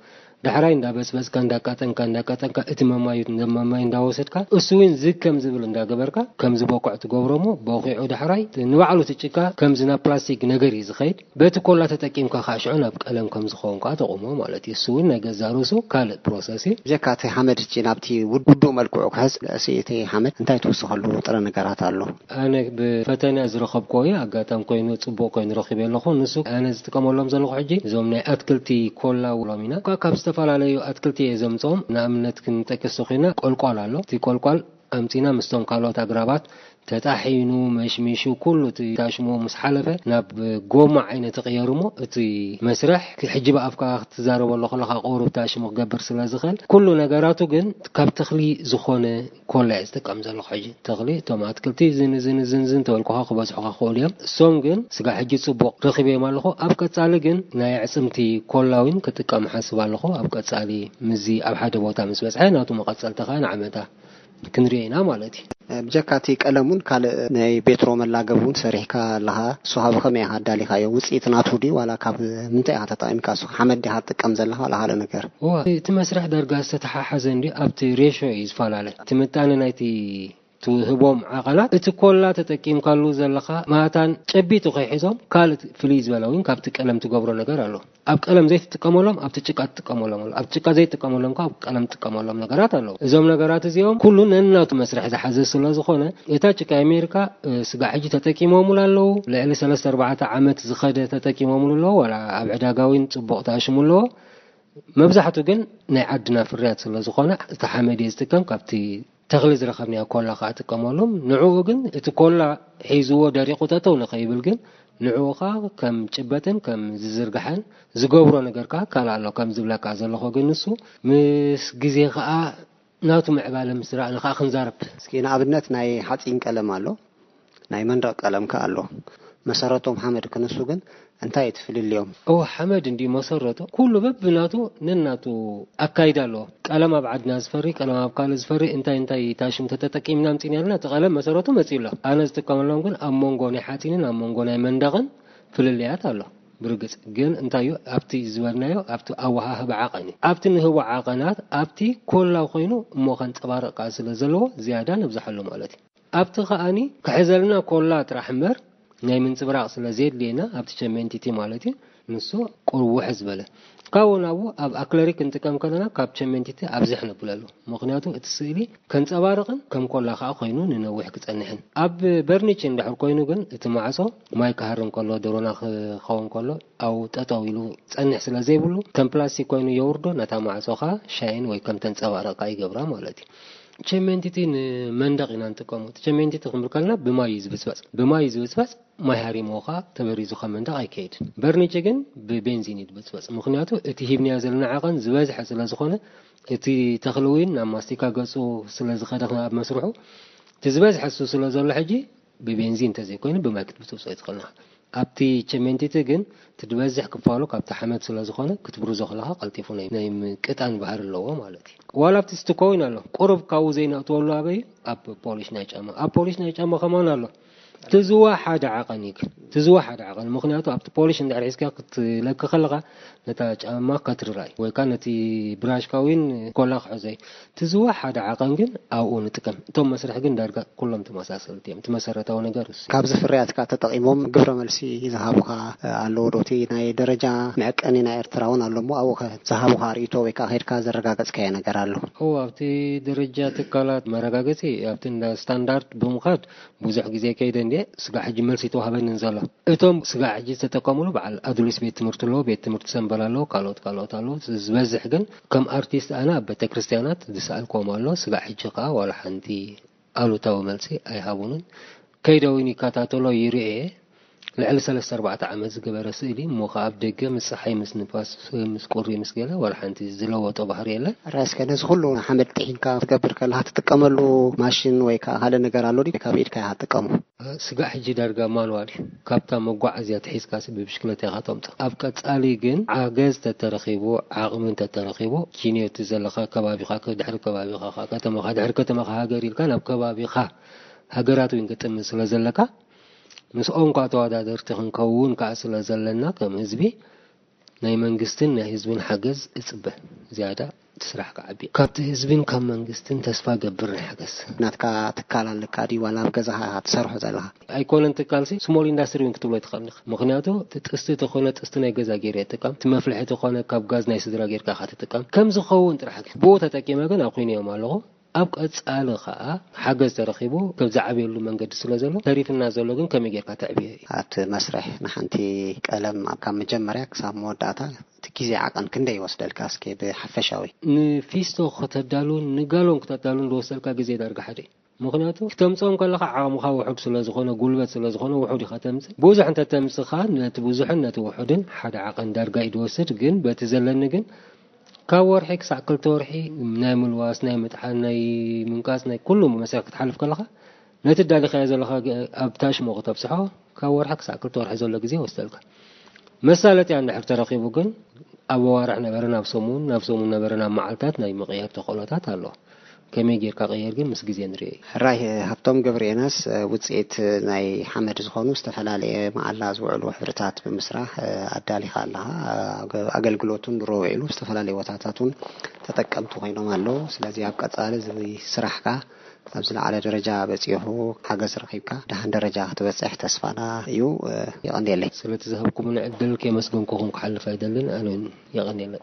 ዳሕራይ እንዳበጽበጽካ፣ እንዳቃጠንካ፣ እንዳቃጠንካ፣ እቲ መማዩ፣ መማይ እንዳወሰድካ፣ እሱ እውን ዝግ ከም ዝብል እንዳገበርካ፣ ከም ዝበኩዕ ትገብሮ እሞ፣ በኺዑ ዳሕራይ ንባዕሉ እቲ ጭቃ ከምዚ ናብ ፕላስቲክ ነገር እዩ ዝኸይድ። በቲ ኮላ ተጠቂምካ ከዓ ሽዑ ናብ ቀለም ከም ዝኸውን ከዓ ተቑሞ ማለት እዩ። እሱ እውን ናይ ገዛ ርእሱ ካልእ ፕሮሰስ እዩ። ብጀካ እቲ ሓመድ እቺ ናብቲ ውድ-፣ ውዱእ መልክዑ ክሕዝ፣ እቲ ሓመድ እንታይ ትውስኸሉ ጥረ ነገራት ኣሎ? ኣነ ብፈተነ ዝረኸብኩዎ እዩ። ኣጋጣሚ ኮይኑ ጽቡቕ ኮይኑ ረኺበ ኣለኹ። ንሱ ኣነ ዝጥቀመሎም ዘለኹ ሕጂ እዞም ናይ ኣትክልቲ ኮላ ውሎም ኢና። ካብ ዝተፈላለዩ ኣትክልቲ እየ ዘምጽኦም። ንኣብነት ክንጠቅስ ተኾይና ቆልቋል ኣሎ። እቲ ቆልቋል ኣምጺና ምስቶም ካልኦት ኣግራባት ተጣሒኑ፣ መሽሚሹ፣ ኩሉ እቲ ታሽሙ ምስ ሓለፈ ናብ ጎማ ዓይነት ይቕየር እሞ፣ እቲ መስርሕ ሕጂ ብኣፍካ ክትዛረበሉ ከለኻ ቁሩብ ታሽሙ ክገብር ስለ ዝኽእል፣ ኩሉ ነገራቱ ግን ካብ ተኽሊ ዝኾነ ኮላ እየ ዝጥቀም ዘለኹ። ሕጂ ተኽሊ፣ እቶም ኣትክልቲ ዝን ዝን ዝን ዝን ተበልኩኻ ክበዝሑኻ ክኽእሉ እዮም። እሶም ግን ስጋ ሕጂ ጽቡቕ ረኺበዮም ኣለኹ። ኣብ ቀጻሊ ግን ናይ ኣዕጽምቲ ኮላ እውን ክጥቀም ሓስብ ኣለኹ። ኣብ ቀጻሊ ምስዚ ኣብ ሓደ ቦታ ምስ በጽሐ ናቱ መቐጸልቲ ኸኣ ንዓመታ ክንሪኦ ኢና ማለት እዩ። ብጀካ እቲ ቀለም እውን ካልእ ናይ ቤትሮ መላገብ እውን ሰሪሕካ ኣለኻ። እሱ ካብ ከመይ ኢኻ ኣዳሊኻዮ? ውፅኢት ናቱ ድዩ ዋላ ካብ ምንታይ ኢኻ ተጠቒምካ? እሱ ሓመድ ዲኻ ትጥቀም ዘለኻ ዋላ ካልእ ነገር? እዋ፣ እቲ መስርሕ ዳርጋ ዝተተሓሓዘ እንድዩ፣ ኣብቲ ሬሾ እዩ ዝፈላለ። እቲ ምጣነ ናይቲ ትህቦም ዓቐናት፣ እቲ ኮላ ተጠቂምካሉ ዘለኻ ማታን ጨቢጡ ከይሕዞም ካልእ ፍልይ ዝበለ እውን ካብቲ ቀለም ትገብሮ ነገር ኣሎ። ኣብ ቀለም ዘይትጥቀመሎም ኣብቲ ጭቃ ትጥቀመሎም ኣሎ። ኣብ ጭቃ ዘይትጥቀመሎም ከኣ ኣብ ቀለም ትጥቀመሎም ነገራት ኣለዉ። እዞም ነገራት እዚኦም ኩሉ ነናቱ መስርሕ ዝሓዘ ስለ ዝኾነ፣ እታ ጭቃ ኣሜሪካ፣ እ፣ ስጋዕ ሕጂ ተጠቂሞምሉ ኣለዉ። ልዕሊ ሰለስተ ኣርባዕተ ዓመት ዝኸደ ተጠቂሞምሉ ኣለዉ። ዋላ ኣብ ዕዳጋ እውን ጽቡቕ ተሃሽሙ ኣለዎ። መብዛሕቱ ግን ናይ ዓድና ፍርያት ስለ ዝኾነ፣ እቲ ሓመድ እየ ዝጥቀም። ካብቲ ተኽሊ ዝረኸብናዮ ኮላ ከኣ እጥቀመሎም። ንዕኡ ግን እቲ ኮላ ሒዝዎ ደሪቑ ጠጠው ንኸይብል ግን ንዕኡ ከኣ ከም ጭበጥን ከም ዝዝርግሐን ዝገብሮ ነገር ከኣ ካልእ ኣሎ። ከም ዝብለካ ዘለኹ ግን ንሱ ምስ ግዜ ከኣ ናቱ ምዕባለ ምስ ረኣና ከኣ ክንዛረብ። እስኪ ንኣብነት ናይ ሓፂን ቀለም ኣሎ፣ ናይ መንደቕ ቀለም ከኣ ኣሎ። መሰረቶም ሓመድ ክንሱ ግን እንታይ እቲ ፍልልዮም? እወ፣ ሓመድ እንዲ መሰረቱ ኩሉ በብናቱ ነናቱ ኣካይዳ ኣለዎ። ቀለም ኣብ ዓድና ዝፈሪ፣ ቀለም ኣብ ካልእ ዝፈሪ፣ እንታይ እንታይ ታሽም ተተጠቂምና ኣምጺእና ኢልና እቲ ቀለም መሰረቱ መጺኡ ኣሎ። ኣነ ዝጥቀመሎም ግን ኣብ መንጎ ናይ ሓጺንን ኣብ መንጎ ናይ መንደቕን ፍልልያት ኣሎ። ብርግጽ ግን እንታይ እዩ ኣብቲ ዝበልናዮ ኣብቲ ኣወሃህባ ዓቐን እዩ። ኣብቲ ንህቦ ዓቐናት ኣብቲ ኮላው ኮይኑ እሞ ከንጸባርቕ ከኣ ስለ ዘለዎ ዝያዳ ነብዝሓሉ ማለት እዩ። ኣብቲ ከኣኒ ክሕዘልና ኮላ ጥራሕ እምበር ናይ ምንጽብራቕ ስለ ዘየድልየና ኣብቲ ቸሜንቲቲ ማለት እዩ። ንሱ ቁሩብ ውሕ ዝበለ። ካብኡ ናብኡ ኣብ ኣክለሪክ ክንጥቀም ከለና ካብ ቸሜንቲቲ ኣብዝሕ ነብለሉ። ምኽንያቱ እቲ ስእሊ ከንጸባርቕን ከም ኮላ ከኣ ኮይኑ ንነዊሕ ክጸንሕን። ኣብ በርኒች እንድሕር ኮይኑ ግን እቲ ማዕጾ ማይ ክሃርም ከሎ፣ ደሮና ክኸውን ከሎ ኣብኡ ጠጠው ኢሉ ጸንሕ ስለ ዘይብሉ ከም ፕላስቲክ ኮይኑ የውርዶ፣ ነታ ማዕጾ ከኣ ሻይን ወይ ከም ተንጸባርቕ ከኣ ይገብራ ማለት እዩ። ቸሜንቲቲ ንመንደቕ ኢና ንጥቀሞ። እቲ ቸሜንቲቲ ክንብል ከለና ብማይ እዩ ዝብጽበጽ። ብማይ እዩ ዝብጽበጽ፣ ማይ ሃሪምዎ ከኣ ተበሪዙ ካብ መንደቕ ኣይከይድን። በርኒች ግን ብቤንዚን እዩ ዝበጽበጽ። ምኽንያቱ እቲ ሂብናዮ ዘለና ዓቐን ዝበዝሐ ስለ ዝኾነ፣ እቲ ተኽሊ እውን ናብ ማስቲካ ገጹ ስለ ዝኸደ ኣብ መስርሑ፣ እቲ ዝበዝሐ እሱ ስለ ዘሎ ሕጂ ብቤንዚን እንተዘይኮይኑ ብማይ ክትብጽብጾ እዩ ትኽእል። ኣብቲ ቸሜንቲቲ ግን እቲ ዝበዝሕ ክፋሉ ካብቲ ሓመድ ስለ ዝኾነ ክትብርዞ ከለኻ ቀልጢፉ ናይ፣ ናይ ምቅጣን ባህሪ ኣለዎ ማለት እዩ። ዋላ ኣብቲ ስቱኮ እውን ኣሎ። ቁሩብ ካብኡ ዘይነእትወሉ ኣበይ እዩ? ኣብ ፖሊሽ ናይ ጫማ። ኣብ ፖሊሽ ናይ ጫማ ከማን ኣሎ። ትዝዋ ሓደ ዓቐን እዩ ግን። ትዝዋ ሓደ ዓቐን። ምኽንያቱ ኣብቲ ፖሊሽ እንድሕር ሒዝካ ክትለኪ ከለኻ ነታ ጫማ ከትርራይ ወይ ከዓ ነቲ ብራሽካ እውን ኮላ ክሕዞ እዩ። ትዝዋ ሓደ ዓቐን ግን ኣብኡ ንጥቀም። እቶም መስርሕ ግን ዳርጋ ኩሎም ተመሳሰልቲ እዮም። እቲ መሰረታዊ ነገር እሱ እዩ። ካብዚ ፍርያትካ ተጠቒሞም ግብረ መልሲ ዝሃቡኻ ኣለዉ ዶ? እቲ ናይ ደረጃ መዐቀኒ ናይ ኤርትራ እውን ኣሎ እሞ ኣብኡ ከ ዝሃቡኻ ርእይቶ ወይ ከዓ ከይድካ ዘረጋገጽካዮ ነገር ኣሎ? እዎ፣ ኣብቲ ደረጃ ትካላት መረጋገጺ ኣብቲ እንዳ ስታንዳርድ ብምኻድ ብዙሕ ግዜ ከይደ እንድየ። ስጋዕ ሕጂ መልሲ ተዋህበንን ዘሎ። እቶም ስጋዕ ሕጂ ዝተጠቀሙሉ በዓል ኣዱሊስ ቤት ትምህርቲ ኣለዎ፣ ቤት ትምህርቲ ሰምበል ኣለዎ፣ ካልኦት ካልኦት ኣለዎ። ዝበዝሕ ግን ከም ኣርቲስት ኣነ ኣብ ቤተክርስትያናት ዝሰኣልክዎም ኣሎ። ስጋዕ ሕጂ ከኣ ዋላ ሓንቲ ኣሉታዊ መልሲ ኣይሃቡንን። ከይደ እውን ይከታተሎ ይርእየ። ልዕሊ ሰለስተ ኣርባዕተ ዓመት ዝገበረ ስእሊ እሞ ከኣ ኣብ ደገ ምስ ጸሓይ ምስ ንፋስ ምስ ቁሪ ምስ ገለ ዋላ ሓንቲ ዝለወጦ ባህሪ የለን። ራእስከ ነዚ ኩሉ ሓመድ ጥሒንካ ክትገብር ከለኻ ትጥቀመሉ ማሽን ወይ ከዓ ካልእ ነገር ኣሎ ድዩ? ካብ ኢድካ ኢኻ ትጥቀሙ? ስጋዕ ሕጂ ዳርጋ ማንዋል እዩ። ካብታ መጓዓዝያ ተሒዝካሲ ብብሽክለታ ኢኻ ተምጽእ። ኣብ ቀጻሊ ግን ሓገዝ ተተረኺቡ፣ ዓቕሚ እንተተረኺቡ፣ ኪንዮ እቲ ዘለኻ ከባቢኻ፣ ድሕሪ ከባቢኻ፣ ከተማኻ፣ ድሕሪ ከተማኻ ሃገር ኢልካ ናብ ከባቢኻ ሃገራት እውን ክጥምት ስለ ዘለካ፣ ምስኦም ከኣ ተወዳደርቲ ክንከውን ከኣ ስለ ዘለና፣ ከም ህዝቢ ናይ መንግስትን ናይ ህዝብን ሓገዝ እጽበ። ዝያዳ እቲ ስራሕ ክዓቢ። ካብቲ ህዝብን ካብ መንግስትን ተስፋ ገብር ናይ ሓገዝ። ናትካ ትካል ኣለካ ድዩ ዋላ ኣብ ገዛኻ ኢኻ ትሰርሖ ዘለኻ? ኣይኮነን ትካልሲ፣ ስሞል ኢንዳስትሪ እውን ክትብሎ ትኽእል ኢኻ። ምኽንያቱ እቲ ጥስቲ ተኾነ ጥስቲ ናይ ገዛ ገይረ ይጥቀም፣ እቲ መፍልሒ ተኾነ ካብ ጋዝ ናይ ስድራ ጌርካ ኢኻ ትጥቀም። ከም ዝኸውን ጥራሕ ግን ብኡ ተጠቂመ ግን ኣኹንዮም ኣለኹ። ኣብ ቀጻሊ ኸኣ ሓገዝ ተረኺቡ ከም ዝዓብየሉ መንገዲ ስለ ዘሎ፣ ተሪፍና ዘሎ ግን ከመይ ጌርካ ተዕብዮ እዩ። ኣብቲ መስርሕ ንሓንቲ ቀለም ካብ መጀመርያ ክሳብ መወዳእታ እቲ ግዜ ዓቐን ክንደይ ይወስደልካ? እስኪ ብሓፈሻዊ። ንፊስቶ ከተዳሉን ንጋሎን ክተዳሉን ዝወስደልካ ግዜ ዳርጋ ሓደ እዩ። ምኽንያቱ ክተምጽኦም ከለኻ ዓቕምኻ ውሑድ ስለ ዝኾነ፣ ጉልበት ስለ ዝኾነ ውሑድ ኢኻ ተምጽእ። ብዙሕ እንተ ተምጽኻ ነቲ ብዙሕን ነቲ ውሑድን ሓደ ዓቐን ዳርጋ እዩ ዝወስድ። ግን በቲ ዘለኒ ግን ካብ ወርሒ ክሳዕ ክልተ ወርሒ ናይ ምልዋስ፣ ናይ ምጥሓን፣ ናይ ምንቃጽ፣ ናይ ኩሉ መሳርሒ ክትሓልፍ ከለኻ ነቲ ዳሊኻዮ ዘለኻ ግ-፣ ኣብ ታሽሞ ክተብጽሖ ካብ ወርሒ ክሳዕ ክልተ ወርሒ ዘሎ ግዜ ይወስደልካ። መሳለጥያ እንድሕር ተረኺቡ ግን ኣብ ኣዋርሕ ነበረ ናብ ሰሙን፣ ናብ ሰሙን ነበረ ናብ መዓልታት ናይ ምቕያር ተኽእሎታት ኣሎ። ከመይ ጌርካ ቀየር ግን ምስ ግዜ ንርእዮ እዩ። ሕራይ ሃብቶም ገብረየናስ፣ ውጽኢት ናይ ሓመድ ዝኾኑ ዝተፈላለየ መዓላ ዝውዕሉ ሕብርታት ብምስራሕ ኣዳሊኻ ኣለኻ። ኣገ-፣ ኣገልግሎቱን ድሮ ውዒሉ ዝተፈላለየ ቦታታት እውን ተጠቀምቲ ኮይኖም ኣለዉ። ስለዚ ኣብ ቀጻሊ እዚ ስራሕካ ኣብ ዝለዓለ ደረጃ በጺሑ ሓገዝ ረኺብካ ደሓን ደረጃ ክትበጽሕ ተስፋና እዩ። የቐንየለይ። ስለቲ ዝሃብኩምኒ ዕድል ከየመስገንኩኹም ክሓልፍ ኣይደልን። ኣነ እውን የቐንየለይ።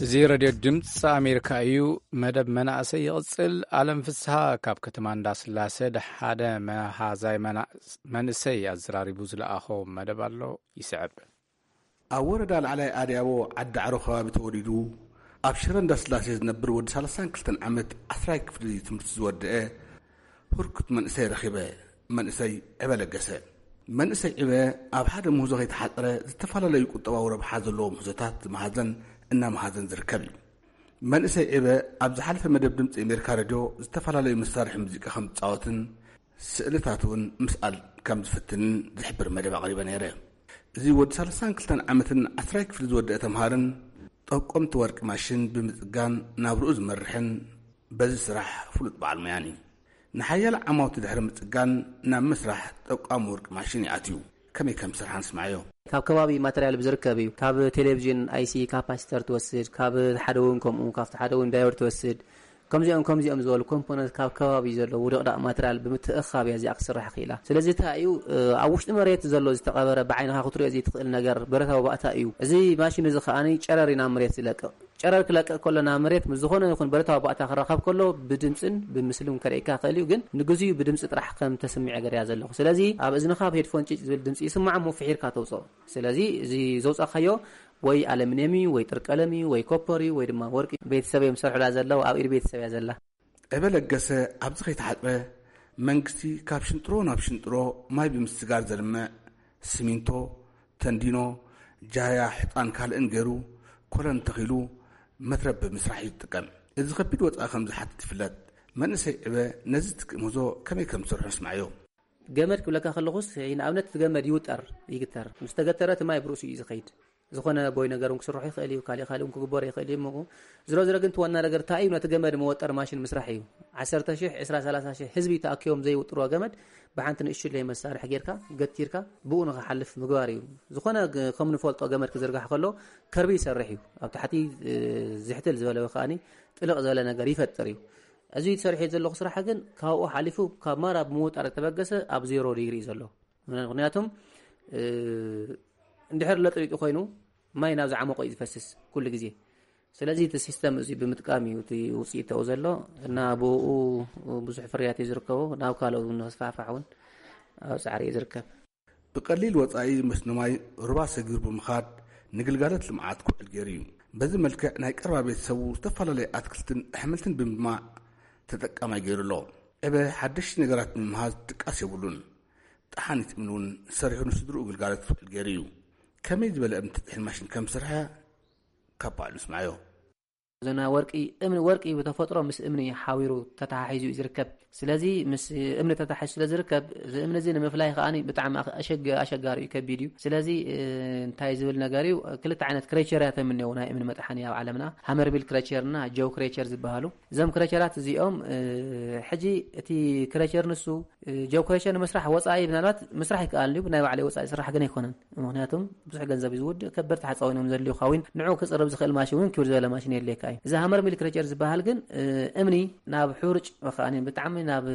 እዚ ሬድዮ ድምፂ ኣሜሪካ እዩ። መደብ መናእሰይ ይቕፅል። ኣለም ፍስሃ ካብ ከተማ እንዳስላሰ ሓደ መሃዛይ መና-፣ መንእሰይ ኣዘራሪቡ ዝለኣኾ መደብ ኣሎ፣ ይስዕብ። ኣብ ወረዳ ላዕላይ ኣድያቦ ዓዲ ዓሮ ከባቢ ተወሊዱ ኣብ ሽረ እንዳስላሴ ዝነብር ወዲ ሰላሳን ክልተን ዓመት ዓስራይ ክፍሊ ትምህርቲ ዝወደአ ህርኩት መንእሰይ ረኺበ። መንእሰይ ዕበ ለገሰ። መንእሰይ ዕበ ኣብ ሓደ ምህዞ ከይተሓፀረ ዝተፈላለዩ ቁጠባዊ ረብሓ ዘለዎ ምህዞታት ዝመሃዘን እናመሃዘን ዝርከብ እዩ። መንእሰይ ዕበ ኣብ ዝሓለፈ መደብ ድምፂ ኣሜሪካ ሬድዮ ዝተፈላለዩ መሳርሒ ሙዚቃ ከም ዝፃወትን ስእልታት እውን ምስኣል ከም ዝፍትንን ዝሕብር መደብ ኣቕሪበ ነይረ። እዚ ወዲ ሰላሳን ክልተን ዓመትን ዓስራይ ክፍሊ ዝወደአ ተምሃርን ጠቆምቲ ወርቂ ማሽን ብምፅጋን ናብርኡ ዝመርሕን በዚ ስራሕ ፍሉጥ በዓል ሞያን እዩ። ንሓያለ ዓማውቲ ድሕሪ ምፅጋን ናብ ምስራሕ ጠቋሚ ወርቂ ማሽን ይኣትዩ። ከመይ ከም ዝሰርሓ ንስማዓዮ። ካብ ከባቢ ማተርያል ብዝርከብ እዩ። ካብ ቴሌቪዥን ኣይሲ ካፓሲተር ትወስድ፣ ካብ ሓደ እውን ከምኡ፣ ካብቲ ሓደ እውን ዳዮድ ትወስድ። ከምዚኦም ከምዚኦም ዝበሉ ኮምፖነንት ካብ ከባቢ ዘለዉ ደቕዳቕ ማተርያል ብምትእኻብ እያ እዚኣ ክስራሕ ክኢላ። ስለዚ እንታይ እዩ፣ እ፣ ኣብ ውሽጢ መሬት ዘሎ ዝተቐበረ ብዓይንኻ ክትሪኦ ዘይትኽእል ነገር ብረታዊ ባእታ እዩ። እዚ ማሽን እዚ ከኣ ጨረር እዩ ናብ መሬት ዝለቅቕ። ጨረር ክለቅቕ ከሎ ናብ መሬት ምስ ዝኾነ ይኹን ብረታዊ ባእታ ክራኸብ ከሎ ብድምፅን ብምስልን ከርእየካ ይኽእል እዩ፣ ግን ንግዚኡ ብድምፂ ጥራሕ ከም ተስምዕ ገይረ እያ ዘለኹ። ስለዚ ኣብ እዝንኻ ብሄድፎን ጭጭ ዝብል ድምፂ ይስማዕ እሞ ፍሒርካ ተውፅኦ። ስለዚ እዚ ዘውፃእካዮ ወይ ኣለሚንየም እዩ፣ ወይ ጥርቀለም እዩ፣ ወይ ኮፐር እዩ፣ ወይ ድማ ወርቂ። ቤተሰብ እዮም ዝሰርሑላ ዘለዉ፣ ኣብ ኢድ ቤተሰብ እያ ዘላ። ዕበ ለገሰ ኣብዚ ከይተሓፅረ መንግስቲ ካብ ሽንጥሮ ናብ ሽንጥሮ ማይ ብምስጋር ዘልምዕ ስሚንቶ፣ ተንዲኖ፣ ጃህያ፣ ሕፃን ካልእን ገይሩ ኮለን ተኺሉ መትረብ ብምስራሕ እዩ ዝጥቀም። እዚ ከቢድ ወፃኢ ከም ዝሓትት ይፍለጥ። መንእሰይ ዕበ ነዚ ዝትክእ ምህዞ ከመይ ከም ዝሰርሖ ንስማዓዮ። ገመድ ክብለካ ከለኹስ፣ ንኣብነት እቲ ገመድ ይውጠር፣ ይግተር። ምስ ተገተረ እቲ ማይ ብርእሱ እዩ ዝኸይድ። ዝኾነ ቦይ ነገር እውን ክስርሑ ይኽእል እዩ፣ ካሊእ ካሊእ እውን ክግበሩ ይኽእል እዩ። እሞ ዝሮ ዝሮ ግን እቲ ዋና ነገር እንታይ እዩ? ነቲ ገመድ መወጠር ማሽን ምስራሕ እዩ። ዓሰርተ ሺሕ፣ ዕስራ፣ ሰላሳ ሺሕ ህዝቢ ተኣኪቦም ዘይውጥርዎ ገመድ ብሓንቲ ንእሽለይ መሳርሒ ጌርካ ገቲርካ ብኡ ንኽሓልፍ ምግባር እዩ። ዝኾነ ግ-፣ ከም ንፈልጦ ገመድ ክዝርጋሕ ከሎ ከርቢ ይሰርሕ እዩ። ኣብ ታሕቲ፣ እ፣ ዝሕትል ዝበለ ወይ ከኣኒ ጥልቕ ዝበለ ነገር ይፈጥር እዩ። እዚ ተሰሪሑ ዘለኹ ስራሕ ግን ካብኡ ሓሊፉ ካብ ማራ ብምውጣር ዝተበገሰ ኣብ ዜሮ ዲግሪ እዩ ዘሎ። ምኽንያቱም፣ እ፣ እንድሕር ለጥሊጡ ኮይኑ ማይ ናብ ዝዓመቆ እዩ ዝፈስስ ኩሉ ግዜ። ስለዚ እቲ ሲስተም እዚ ብምጥቃም እዩ እቲ ውፅኢት ተው ዘሎ እና ብኡ ብዙሕ ፍርያት እዩ ዝርከቦ። ናብ ካልኦ እውን ንክስፋሕፋሕ እውን ኣብ ፃዕሪ እዩ ዝርከብ። ብቐሊል ወጻኢ መስኖ ማይ ሩባ ሰጊሩ ብምኻድ ንግልጋሎት ልምዓት ክውዕል ገይሩ እዩ። በዚ መልክዕ ናይ ቀረባ ቤተሰቡ ዝተፈላለዩ ኣትክልትን ኣሕምልትን ብምልማዕ ተጠቃማይ ገይሩ ኣሎ። ዕበ ሓደሽቲ ነገራት ንምምሃዝ ድቃስ የብሉን። ጠሓኒት እምኒ እውን ሰሪሑ ንስድርኡ ግልጋሎት ክውዕል ገይሩ እዩ። ከመይ ዝበለ እምኒ ተጥሒን ማሽን ከም ዝሰርሐ ካብ ባዕሉ ንስማዮ። ዘና ወርቂ፣ እምኒ ወርቂ ብተፈጥሮ ምስ እምኒ ሓዊሩ ተተሓሒዙ እዩ ዝርከብ። ስለዚ ምስ እምኒ ተተሓሒዙ ስለ ዝርከብ፣ እዚ እምኒ እዚ ንምፍላይ ከኣ ብጣዕሚ ኣሸግ-፣ ኣሸጋሪ እዩ፣ ከቢድ እዩ። ስለዚ፣ እ፣ እንታይ ዝብል ነገር እዩ፣ ክልተ ዓይነት ክሬቸር እያ ተምንየው ናይ እምኒ መጥሓኒ ኣብ ዓለምና፣ ሃመርቢል ክሬቸር እና ጀው ክሬቸር ዝበሃሉ። እዞም ክሬቸራት እዚኦም፣ እ፣ ሕጂ እቲ ክሬቸር ንሱ ጀው ክሬቸር ንምስራሕ ወጻኢ ምናልባት ምስራሕ ይከኣል እዩ፣ ብናይ ባዕለይ ወጻኢ ስራሕ ግን ኣይኮነን። ምኽንያቱም ብዙሕ ገንዘብ እዩ ዝውድእ፣ ከበድቲ ሓፃዊን እዮም ዘድልዩ ካዊን ንዑ ክፅርብ ዝኽእል ማሽን እውን ክብር ዝበለ ማሽን የድልየካ እዩ። እዚ ሃመር ሚል ክሬቸር ዝበሃል ግን፣ እ፣ እምኒ ናብ ሕሩጭ ወይ ከዓ ብጣዕሚ ናብ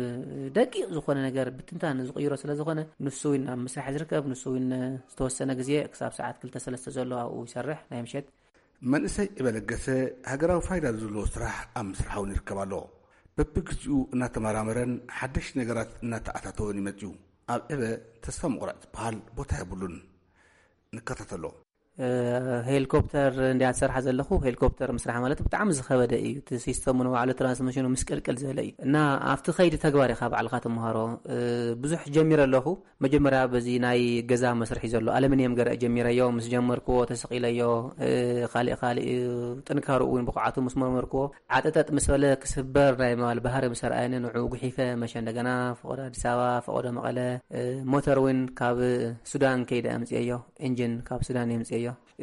ደቂቕ ዝኾነ ነገር ብትንታን ዝቕይሮ ስለ ዝኾነ ንሱ እውን ኣብ ምስራሕ ዝርከብ፣ ንሱ እውን ዝተወሰነ ግዜ ክሳብ ሰዓት ክልተ ሰለስተ ዘሎ ኣብኡ ይሰርሕ ናይ ምሸት። መንእሰይ ዕበ ለገሰ ሃገራዊ ፋይዳ ዘለዎ ስራሕ ኣብ ምስራሕ እውን ይርከብ ኣሎ። በብግዚኡ እናተመራመረን ሓደሽቲ ነገራት እናተኣታተወን ይመፅዩ። ኣብ ዕበ ተስፋ ምቑራፅ ዝበሃል ቦታ የብሉን። ንከታተሎ። እ፣ ሄሊኮፕተር እንዲያ ትሰርሓ ዘለኹ። ሄሊኮፕተር ምስራሕ ማለት ብጣዕሚ ዝኸበደ እዩ። እቲ ሲስተሙ ንባዕሉ ትራንስሚሽኑ ምስቅልቅል ዝበለ እዩ እና ኣብቲ ከይዲ ተግባር ኢኻ ባዕልኻ ትምሃሮ። እ፣ ብዙሕ ጀሚረ ኣለኹ። መጀመርያ በዚ ናይ ገዛ መስርሒ ዘሎ ኣለሚንየም ገርአ ጀሚረዮ። ምስ ጀመርክዎ ተሰቒለዮ፣ እ፣ ካሊእ ካሊእ ጥንካርኡ እውን ብቕዓቱ ምስ መርመርክዎ፣ ዓጠጠጥ ምስ በለ ክስበር ናይ ምባል ባህሪ ምስ ኣርኣየኒ፣ ንዑ ጉሒፈ መሸ እንደገና ፈቐዶ ኣዲስ ኣበባ፣ ፈቐዶ መቐለ፣ እ፣ ሞተር እውን ካብ ሱዳን ከይደ ኣምፅኤዮ፣ ኢንጂን ካብ ሱዳን የምፅኤዮ።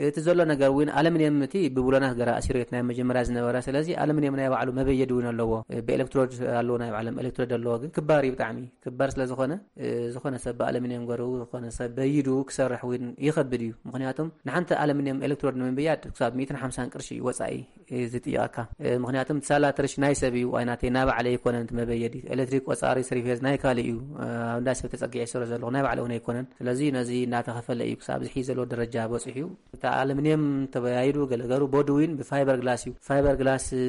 እቲ ዘሎ ነገር እውን ኣለሚንየም እቲ ብብሎናት ገራ ኣሲሮት ናይ መጀመርያ ዝነበረ፣ ስለዚ ኣለሚንየም ናይ ባዕሉ መበየዲ እውን ኣለዎ። እ፣ ብኤሌክትሮድ ኣለዎ፣ ናይ ባዕሎም ኤሌክትሮድ ኣለዎ፣ ግን ክባር እዩ ብጣዕሚ። ክባር ስለ ዝኾነ፣ እ፣ ዝኾነ ሰብ ብኣለሚንየም ገሩ፣ ዝኾነ ሰብ በይዱ ክሰርሕ እውን ይኸብድ እዩ። ምኽንያቱም ንሓንቲ ኣለሚንየም ኤሌክትሮድ ንምብያድ ክሳብ ሚእትን ሓምሳን ቅርሺ እዩ ወጻኢ፣ እ፣ ዝጥይቐካ። እ፣ ምኽንያቱም ሳላ ትርሽ ናይ ሰብ እዩ፣ ኣይናተይ ናይ ባዕለይ ኣይኮነን እቲ መበየዲ። ኤሌክትሪክ ቆጻሪ ስሪፌዝ ናይ ካልእ እዩ። እ፣ ኣብ እንዳ ሰብ ተጸጊዐ ይሰሮ ዘለኹ ናይ ባዕለ እውን ኣይኮነን። ስለዚ ነዚ እናተኸፈለ እዩ ክሳብ ዝሒ ዘለዎ ደረጃ በጺሑ እዩ። እቲ ኣለሚንየም ተበያይዱ ገለገሩ ቦዲ ዊን ብፋይበር ግላስ እዩ። ፋይበር ግላስ፣ እ፣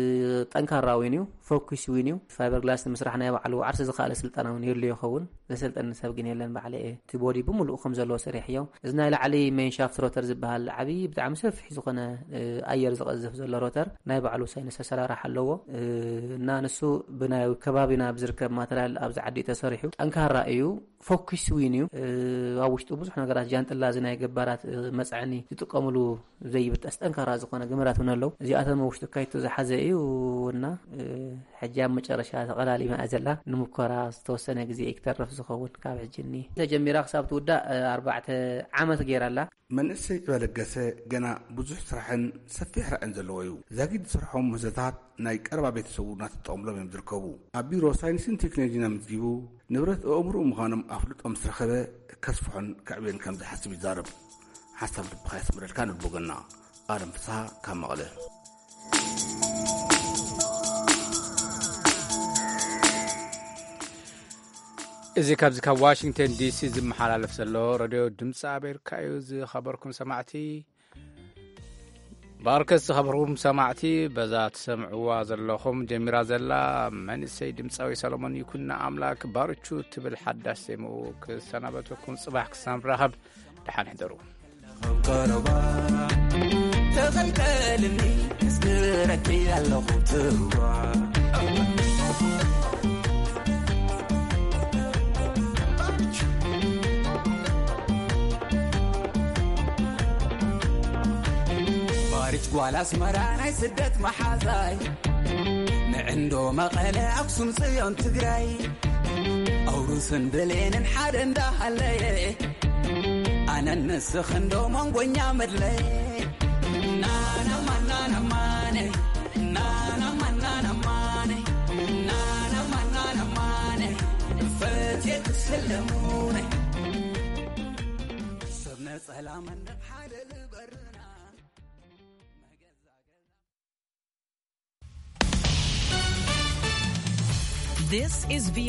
ጠንካራ ዊን እዩ፣ ፎኩስ ዊን እዩ። ፋይበር ግላስ ንምስራሕ ናይ ባዕሉ ዓርሲ ዝኸኣለ ስልጠና እውን የድልዮ ይኸውን። ዘሰልጠኒ ሰብ ግን የለን፣ ባዕለ እየ። እቲ ቦዲ ብምሉኡ ከም ዘለዎ ሰሪሐዮ። እዚ ናይ ላዕሊ ሜንሻፍት ሮተር ዝበሃል ዓብዪ ብጣዕሚ ሰፊሕ ዝኾነ፣ እ፣ ኣየር ዝቐዝፍ ዘሎ ሮተር ናይ ባዕሉ ሳይንስ ኣሰራርሓ ኣለዎ። እ፣ እና ንሱ ብናይ ከባቢና ብዝርከብ ማተርያል ኣብዚ ዓዲ እዩ ተሰሪሑ። ጠንካራ እዩ። ፎኪስ ዊን እዩ። እ፣ ኣብ ውሽጡ ብዙሕ ነገራት ጃንጥላ፣ እዚ ናይ ገባራት፣ እ፣ መጽዓኒ ዝጥቀምሉ ዘይብጠስ ጠንካራ ዝኾነ ገመዳት እውን ኣለዉ። እዚኣቶም ኣብ ውሽጡ ካይቶ ዝሓዘ እዩ እና፣ እ፣ ሕጂ ኣብ መጨረሻ ተቐላሊማ እያ ዘላ። ንምኮራ ዝተወሰነ ግዜ እዩ ክተርፍ ዝኸውን። ካብ ሕጂ እኒ ተጀሚራ ክሳብ ትውዳእ፣ እ፣ ኣርባዕተ ዓመት ገይራ ኣላ። መንእሰይ ዕበ ለገሰ ገና ብዙሕ ስራሕን ሰፊሕ ራዕን ዘለዎ እዩ። ዛጊድ ዝሰርሖም ምህዞታት ናይ ቀረባ ቤተሰቡ እናተጠቐምሎም እዮም ዝርከቡ። ኣብ ቢሮ ሳይንስን ቴክኖሎጂን ኣመዝጊቡ ንብረት ኣእምሮኡ ምዃኖም ኣፍልጦ ምስ ረኸበ ከስፍሖን ከዕብዮን ከም ዝሓስብ ይዛረብ። ሓሳብ ልብኻ የስምረልካ ንብሎ ገና። ኣለም ፍስሃ ካብ መቐለ። እዚ ካብዚ ካብ ዋሽንግተን ዲሲ ዝመሓላለፍ ዘሎ ረድዮ ድምፂ ኣሜሪካ እዩ። ዝኸበርኩም ሰማዕቲ፣ ብኣርከስ ዝኸበርኩም ሰማዕቲ፣ በዛ ትሰምዕዋ ዘለኹም ጀሚራ ዘላ መንእሰይ ድምፃዊ ሰሎሞን ይኩኖ ኣምላክ ባርቹ ትብል ሓዳሽ ዜምኡ ክሰናበተኩም። ጽባሕ ክሳብ ንራኸብ ደሓን ሕደሩ። ተቐልቀልኒ ክዝክረኪ ኣለኹ ትዋ። ባሪች ጓል ኣስመራ ናይ ስደት መሓዛይ፣ ንዕንዶ መቐለ ኣክሱም ጽዮን ትግራይ፣ ኣውሩስን ብሌንን ሓደ እንዳሃለየ፣ ኣነን ንስኽንዶ መንጎኛ መድለየ። ናናማናናማነ ናናማናናማነ ናናማናናማነ ፈትየ ክስለሙነ ሰብ ነጸላ መንደቕ ሓደ ልበርና መገዛ ገዛ This is V